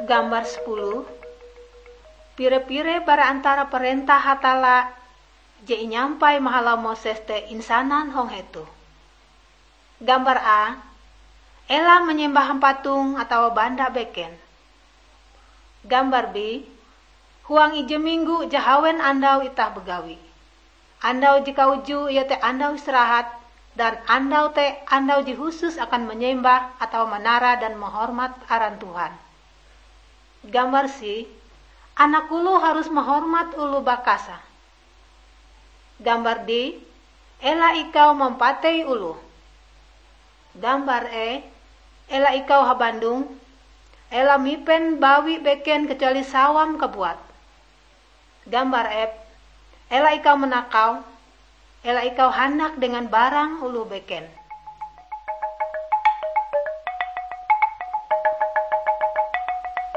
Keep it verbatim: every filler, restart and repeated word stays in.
Gambar sepuluh. Pire-pire bara antara parentah Hatalla je inyampai mahalau Moses te insanan hong hetoh. Gambar A, ela manyembah hampatong atawa banda beken. Gambar B, huang ije minggo jahawen andau itah bagawi. Andau je kauju iete andau istirahat, dan andau te andau je husus akan manyembah atawa manara dan mahormat aran Tuhan. Gambar C, anak oloh harus mahormat oloh bakasa. Gambar D, ela ikau mampatei oloh. Gambar E, ela ikau habandong, ela mipen bawi beken kecuali sawam kabuat. Gambar F, ela ikau manakau, ela ikau handak dengan barang oloh beken.